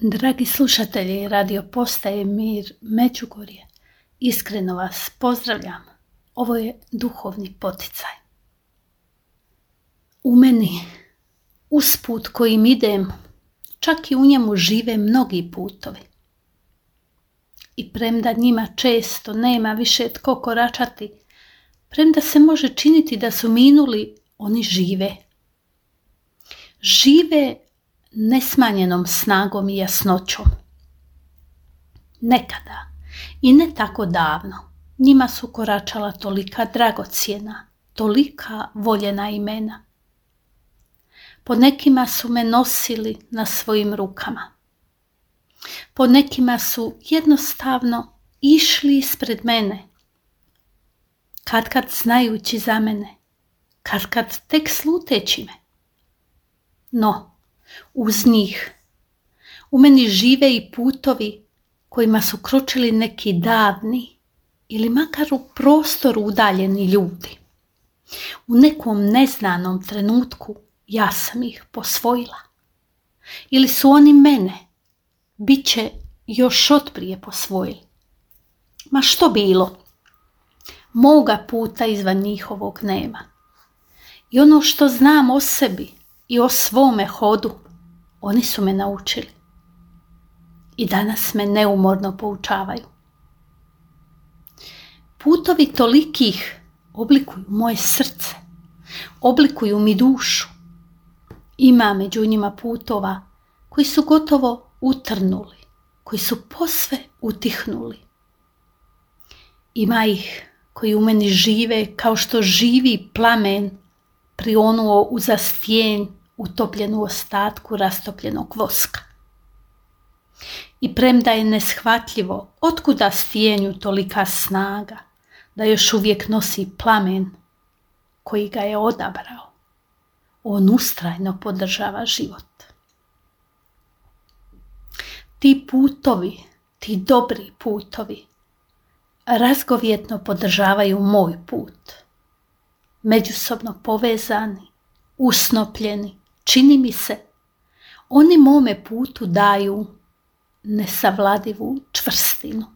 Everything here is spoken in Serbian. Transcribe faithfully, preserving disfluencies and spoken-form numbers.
Dragi slušatelji radio postaje Mir Međugorje, iskreno vas pozdravljam. Ovo je duhovni poticaj. U meni, usput kojim idem, čak i u njemu žive mnogi putovi. I premda njima često nema više tko koračati, premda se može činiti da su minuli, oni žive. Žive nesmanjenom snagom i jasnoćom. Nekada i ne tako davno njima su koračala tolika dragocjena, tolika voljena imena. Po nekima su me nosili na svojim rukama. Po nekima su jednostavno išli ispred mene, katkad znajući za mene, katkad tek sluteći me. No, uz njih u meni žive i putovi kojima su kročili neki davni ili makar u prostoru udaljeni ljudi. U nekom neznanom trenutku ja sam ih posvojila. Ili su oni mene, bit će još otprije posvojili. Ma što bilo, moga puta izvan njihovog nema. I ono što znam o sebi i o svome hodu, oni su me naučili. I danas me neumorno poučavaju. Putovi tolikih oblikuju moje srce, oblikuju mi dušu. Ima među njima putova koji su gotovo utrnuli, koji su posve utihnuli. Ima ih koji u meni žive kao što živi plamen prionuo uza stijen utopljen u ostatku rastopljenog voska. I premda je neshvatljivo otkuda stijenju tolika snaga da još uvijek nosi plamen koji ga je odabrao, on ustrajno podržava život. Ti putovi, ti dobri putovi, razgovjetno podržavaju moj put. Međusobno povezani, usnopljeni, čini mi se, oni mome putu daju nesavladivu čvrstinu.